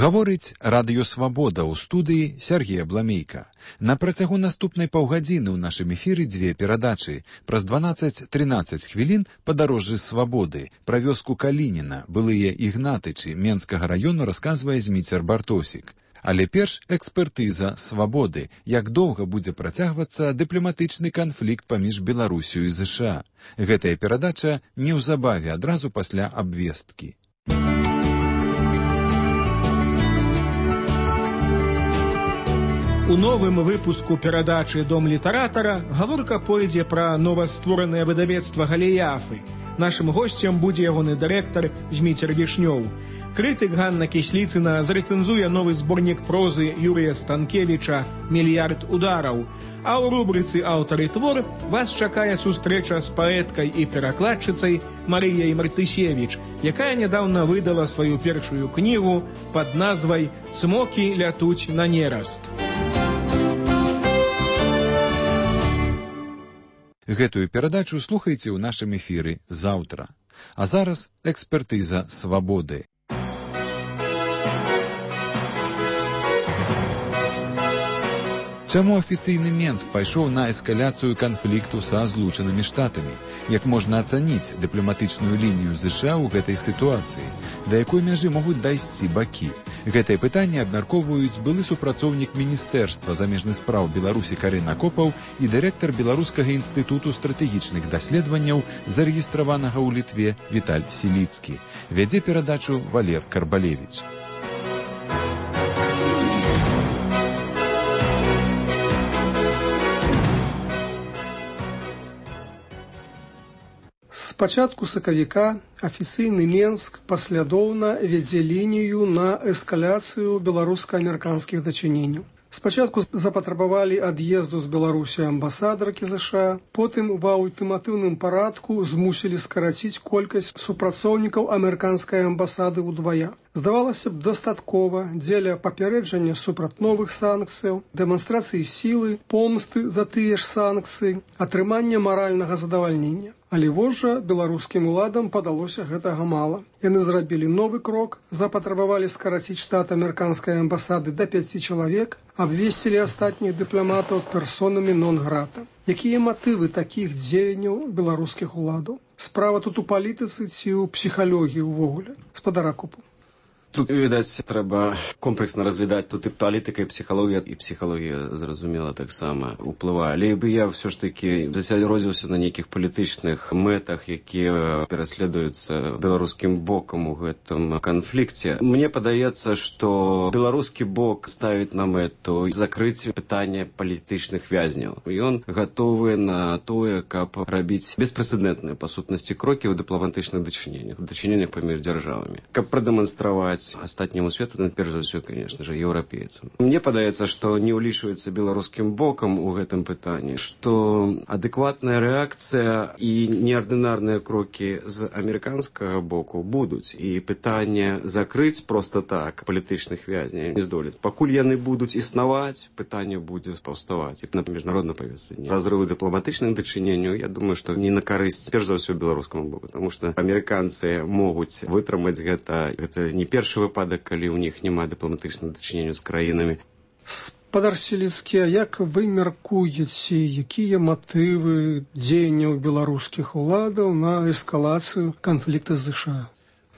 Гаворыць Радыё Свабода ў студыі Сергея Бламейка. На працягу наступнай паўгадзіны ў нашым эфіры дзве перадачы. Праз 12-13 хвілін падарожжы свабоды. Пра вёску Калініна, былыя Ігнатычы Менскага раёну расказвае Зміцер Бартосік. Але перш экспертыза свабоды. Як доўга будзе працягвацца дыпламатычны канфлікт паміж Беларусю і ЗША. Гэтая перадача неўзабаве адразу пасля абвесткі. У новым выпуску перадачы «Дом літаратара» гаворка пойдзе пра новастворанае выдавецтва «Галіяфы». Нашым госцем будзе ягоны дырэктар Зміцер Вішнёў. Крытык Ганна Кісліцына зрэцэнзуе новы зборнік прозы Юрыя Станкевіча «Мільярд удараў». А ў рубрыцы «Аўтар і твор» вас чакае сустрэча з паэткай і перакладчыцай Марыяй Мартысевіч, якая нядаўна выдала сваю першую кнігу пад назвай «Цмокі лятуць на нераст». Гэтую перадачу слухайце ў нашым эфіры заўтра. А зараз экспертыза свабоды. Чаму афіцыйны Менск пайшоў на эскаляцыю канфлікту са Злучанымі Штатамі? Як можна ацаніць дыпламатычную лінію ЗША ў гэтай сітуацыі? Да якой мяжы могуць дайсці бакі? Гэтае пытанне абмяркоўваюць былы супрацоўнік Міністэрства замежных спраў Беларусі Карэн Акопаў і дырэктар Беларускага інстытуту стратэгічных даследаванняў, зарэгістраванага ў Літве, Віталь Сіліцкі. Вядзе перадачу Валер Карбалевіч. З пачатку сакавіка афіцыйны Менск паслядоўна вядзе лінію на эскаляцыю беларуска-амерыканскіх дачыненняў. Спачатку запатрабавалі ад'езду з Беларусі амбасадаркі ЗША, потым ва ультыматыўным парадку змусілі скараціць колькасць супрацоўнікаў амерыканскай амбасады ўдвая. Здавалася б, дастаткова дзеля папярэджання супраць новых санкцыяў, дэманстрацыі сілы, помсты за тыя ж санкцыі, атрымання маральнага задавальнення. Але вось жа беларускім уладам падалося гэтага мала. Яны зрабілі новы крок, запатрабавалі скараціць штат амерыканскай амбасады да 5 чалавек, абвесцілі астатніх дыпламатаў персонамі нон-грата. Якія матывы такіх дзеянняў беларускіх уладаў? Справа тут у палітыцы ці ў псіхалогіі ўвогуле? Спадар Акопаў. Тут, відаць, трэба комплексна разглядаць тут і палітыка, і псіхалогія, зразумела, таксама ўплывае. Але бы я ўсё ж такі засяродзіўся на нейкіх палітычных мэтах, якія пераследуюцца беларускім бокам у гэтым канфлікце. Мне падаецца, што беларускі бок ставіць на мэту закрыць пытанне палітычных вязняў. Ён гатовы на тое, каб рабіць беспрэцэдэнтныя, па сутнасці, крокі ў дыпламатычных дачыненнях паміж дзяржавамі. Каб прадэманстраваць астатняму свету, перш за ўсё, конечно же, еўрапейцам. Мне падаецца, што не ўлічваецца беларускім бокам у гэтым пытанні, што адэкватная рэакцыя і неардынарныя крокі з амерыканскага боку будуць. І пытанне закрыць проста так палітычных вязняў не здолець. Пакуль яны будуць існаваць, пытанне будзе паўставаць. І на міжнароднай павестцы разрыву дыпламатычных дачыненняў, я думаю, што не на карысць, перш за ўсё, беларускаму боку. Таму што амерыканцы могуць вытрымаць гэта не першы выпадак, калі ў них няма дыпламатычных дачыненняў з краінамі. Спадар Сіліцкі, як вы мяркуеце, якія матывы дзеянняў беларускіх уладаў на эскалацыю канфлікта з ЗША?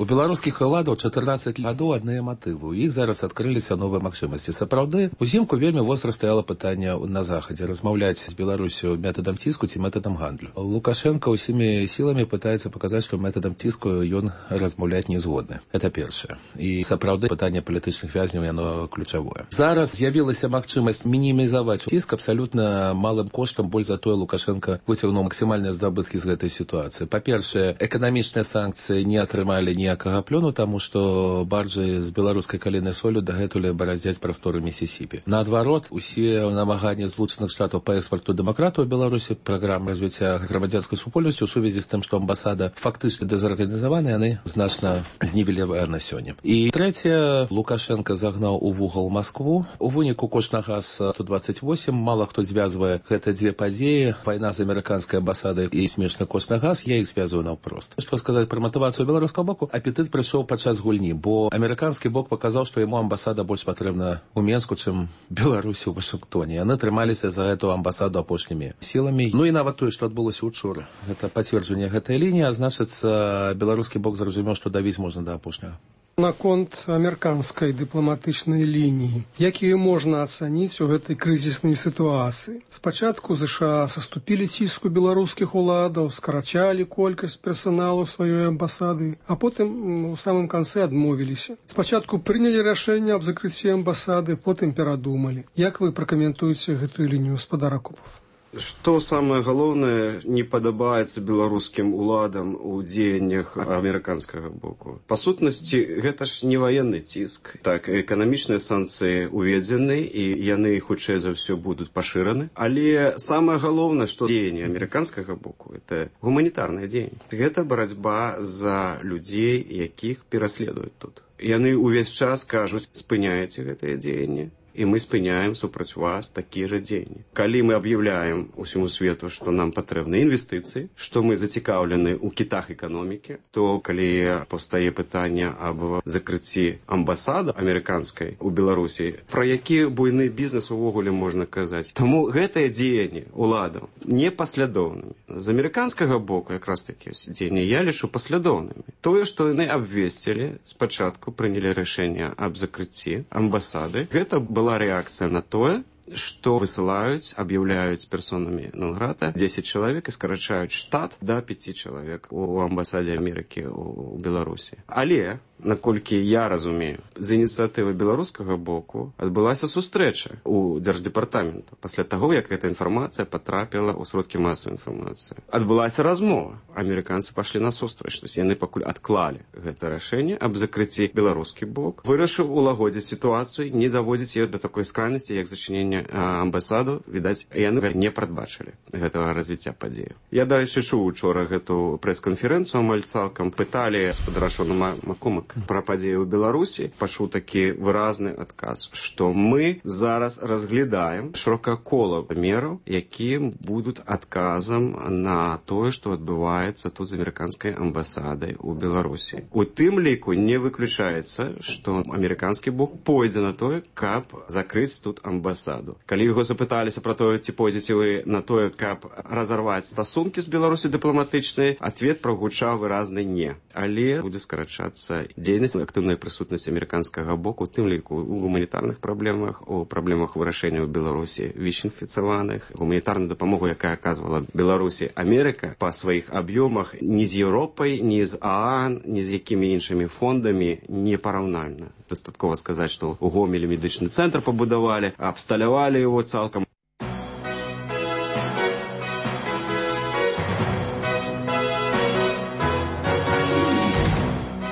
У беларускіх уладаў 14 гадоў адныя матывы. У іх зараз адкрыліся новыя магчымасці. Сапраўды, узімку вельмі востра стаяла пытанне на захадзе размаўляць з Беларусю метадам ціску ці метадам гандлю. Лукашенко ўсімі сіламі пытаецца паказаць, што метадам ціску ён размаўляць не згодны. Это першае. І сапраўды пытанне палітычных вязняў яно ключавое. Зараз з'явілася магчымасць мінімізаваць ціск абсалютна малым коштам, больш за тое Лукашенко выцягнуў максімальныя здабыткі з гэтай сітуацыі. Па-першае, эканамічныя санкцыі не атрымалі ніякага плёну, таму што баржы з беларускай калійнай соллю дагэтуль бараздзяць прасторы Місісіпі. Наадварот, усе намаганні Злучаных Штатаў па экспарту дэмакратыі ў Беларусі, праграма развіцця грамадзянскай супольнасці ў сувязі з тым, што амбасада фактычна дэзарганізавана, яны значна знівеляваны на сёння. І трэцяе, Лукашенко загнаў у вугал Маскву. У выніку кошт на газ 128, мала хто звязвае гэта дзве падзеі, вайна з амерыканскай амбасадай і смешны кошт на газ, я іх звязваю наўпрост. Што сказаць пра матывацыю беларускага боку? апетыт прыйшоў падчас гульні, бо амерыканскі бок паказаў, што яму амбасада больш патрэбна ў Менску, чым Беларусі ў Вашынгтоне. Яны трымаліся за гэту амбасаду апошнімі сіламі. Ну і нават тое, што адбылося учора. Гэта пацверджанне гэтай лініі, а значыцца, беларускі бок зразумеў, што давіць можна да апошняга. Наконт амерыканскай дыпламатычнай лініі, якія можна ацаніць у гэтай крызіснай сітуацыі. Спачатку ЗША саступілі ціску беларускіх уладаў, скарачалі колькасць персаналу сваёй амбасады, а потым у самым канцы адмовіліся. Спачатку прынялі рашэнне аб закрыцці амбасады, потым перадумалі. Як вы пракаментуеце гэтую лінію, гаспадар Акопов? Што самае галоўнае не падабаецца беларускім уладам у дзеяннях амерыканскага боку? Па сутнасці, гэта ж не ваенны ціск. Так, эканамічныя санкцыі уведзены, і яны, хутчэй за ўсё, будуць пашыраны. Але самае галоўнае, што дзеянні амерыканскага боку, это гуманітарнае дзеянне. Гэта барацьба за людзей, якіх пераследуюць тут. Яны ўвесь час кажуць, спыняеце гэтае дзеянне, і мы спыняем супраць вас такія жа дзеянні. Калі мы аб'яўляем усяму свету, што нам патрэбны інвестыцыі, што мы зацікаўлены ў кітах эканомікі, то калі паўстае пытанне аб закрыцці амбасады амерыканскай у Беларусі, пра які буйны бізнес увогуле можна казаць. Таму гэтыя дзеянні уладаў непаслядоўнымі. З амерыканскага боку якраз такі дзеянні я лічу паслядоўнымі. Тое, што яны абвесцілі, спачатку прынялі рашэнне аб закрыцці амбасады, гэта была реакция на тое, што высылаюць, аб'яўляюць персонамі нон-грата 10 чалавек і скарачаюць штат да 5 чалавек у амбасадзе Амерыкі ў Беларусі. Але, наколькі я разумею, з ініцыятывы беларускага боку адбылася сустрэча у Дзярждэпартаменту пасля таго, як эта інфармацыя патрапіла ў сродкі масавай інфармацыі. Адбылася размова. Амерыканцы пашлі насустрач, то яны пакуль адклалі гэта рашэнне аб закрыцці. Беларускі бок вырашыў улагодзіць сітуацыю, не даводзіць яе да такой скранасці, як зачыненне амбасаду. Відаць, яны не прадбачылі гэтага развіцця падзеяў. Я, дарэчы, чуў учора гэту прэс-канферэнцыю амаль цалкам. Пыталі гаспадара Шона Маккумака пра падзеі ў Беларусі. Пачуў такі выразны адказ, што мы зараз разглядаем шырока кола мераў, якія будуць адказам на тое, што адбываецца тут з амерыканскай амбасадай у Беларусі. У тым ліку не выключаецца, што амерыканскі бок пойдзе на тое, каб закрыць тут амбасаду. Калі яго запыталіся пра тое, ці пойдзеце вы на тое, каб разарваць стасункі з Беларусі дыпламатычнай, адвет прагучаў выразны не. Але будзе скарачацца дзейнасць, актыўная прысутнасць амерыканскага боку, у тым ліку у гуманітарных праблемах, у праблемах вырашэння ў Беларусі ВІЧ-інфіцаваных, гуманітарную дапамогу, якая аказвала Беларусі Амерыка па сваіх аб'ёмах ні з Еўропай, ні з ААН, ні з якімі іншымі фондамі не параўнальна. Дастаткова сказаць, што ў Гомелі медычны цэнтр пабудавалі, абсталявалі его цалкам.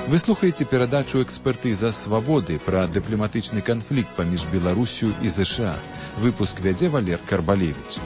Вы слухаеце перадачу «Экспертыза свабоды» пра дыпламатычны канфлікт паміж Беларусю і ЗША. Выпуск вядзе Валер Карбалевіч.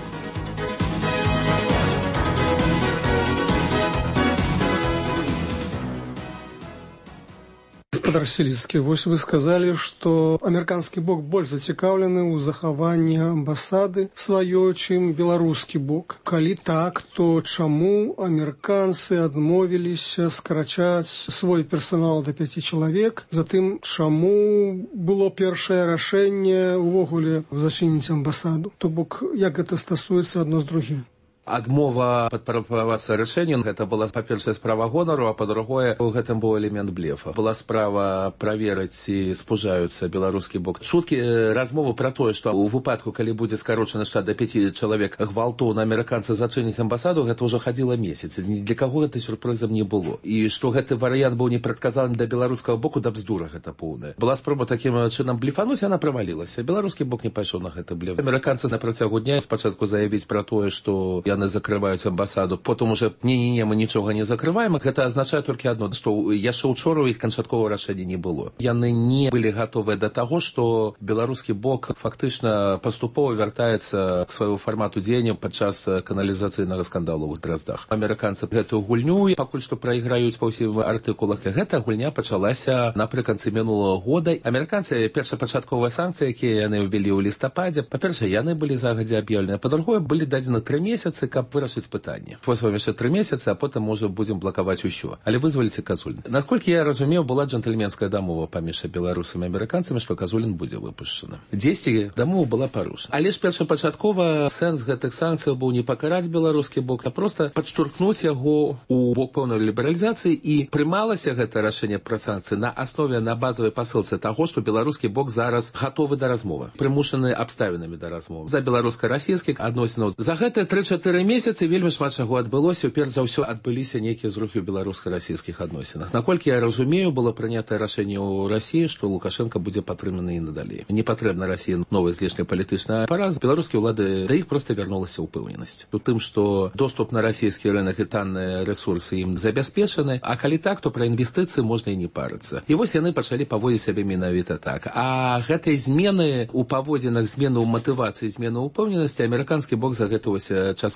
Гаспадар Селіцкі, вось вы сказалі, што амерыканскі бок больш зацікаўлены ў захаванні амбасады сваёй, чым беларускі бок. Калі так, то чаму амерыканцы адмовіліся скарачаць свой персанал да 5 чалавек? Затым, чаму было першае рашэнне ўвогуле зачыніць амбасаду? То бок, як гэта стасуецца адно з другім? Адмова падпарапавацца рашэннем, гэта была, па-першае, справа гонару, а па-другое, у гэтым быў элемент блефа. Была справа праверыць, ці спужаюцца беларускі бок. Чуткі размову пра тое, што ў выпадку, калі будзе скарочаны штат да 5 чалавек, гвалтоўна амерыканцы зачыняць амбасаду, гэта ўжо хадзіла месяц. Для каго гэта сюрпрызам не было. І што гэты варыянт быў непрадказаны для беларускага боку, да бздура гэта поўная. Была спроба такім чынам блефануць, яна правалілася. Беларускі бок не пайшоў на гэта блеф. Амерыканцы на працягу дня спачатку заявіць пра тое, што яны закрываюць амбасаду, потым уже не, мы нічога не закрываем. Гэта азначае толькі адно, што яшчэ учора ў іх канчатковага рашэння не было. Яны не былі гатовыя да таго, што беларускі бок фактычна паступова вяртаецца к свайму фармату дзеяння падчас каналізацыйнага скандалу ў Драздах. Амерыканцы гэтую гульню пакуль што прайграюць па ўсім артыкулах. Гэта гульня пачалася напрыканцы мінулага года. Амерыканцы першапачатковыя санкцыі, якія яны ўвялі ў лістападзе, па-першае, яны былі загадзя аб'яўлены, па-другое, былі дадзены 3 месяцы санкцыі, каб вырашыць пытанне. Вось вам яшчэ 3 месяцы, а потым, можа, будзем блакаваць усё. Але вызваліце Казулін. Наколькі я разумеў, была джентльменская дамова паміж беларусамі і амерыканцамі, што Казулін будзе выпушчаны. Дзесьці дамова была парушана. Але ж першапачаткова сэнс гэтых санкцыяў быў не пакараць беларускі бок, а проста падштурхнуць яго у бок пэўнай лібералізацыі, і прымалася гэта рашэнне пра санкцыі на аснове, на базавай пасылцы таго, што беларускі бок зараз гатовы да размовы, прымушаны абставінамі да размовы. За беларуска-расійскіх адносінаў. За гэтыя 3-4 месяцы вельмі шмат чаго адбылося. Перш за ўсё адбыліся нейкія зрухі ў беларуска-расійскіх адносінах. Наколькі я разумею, было прынятае рашэнне ў Расіі, што Лукашенко будзе падтрыманы і надалей. Не патрэбна Расіі новы знешнепалітычны апарат. Беларускія ўлады да іх проста вярнулася ўпэўненасць. У тым, што доступ на расійскі рынок і танныя рэсурсы ім забяспечаны, а калі так, то пра інвестыцыі можна і не парыцца. І вось яны пачалі паводзіць сябе менавіта так. А гэтай змены ў паводзінах, змены ў матывацыі, змены ў упэўненасці амерыканскі бок за гэта час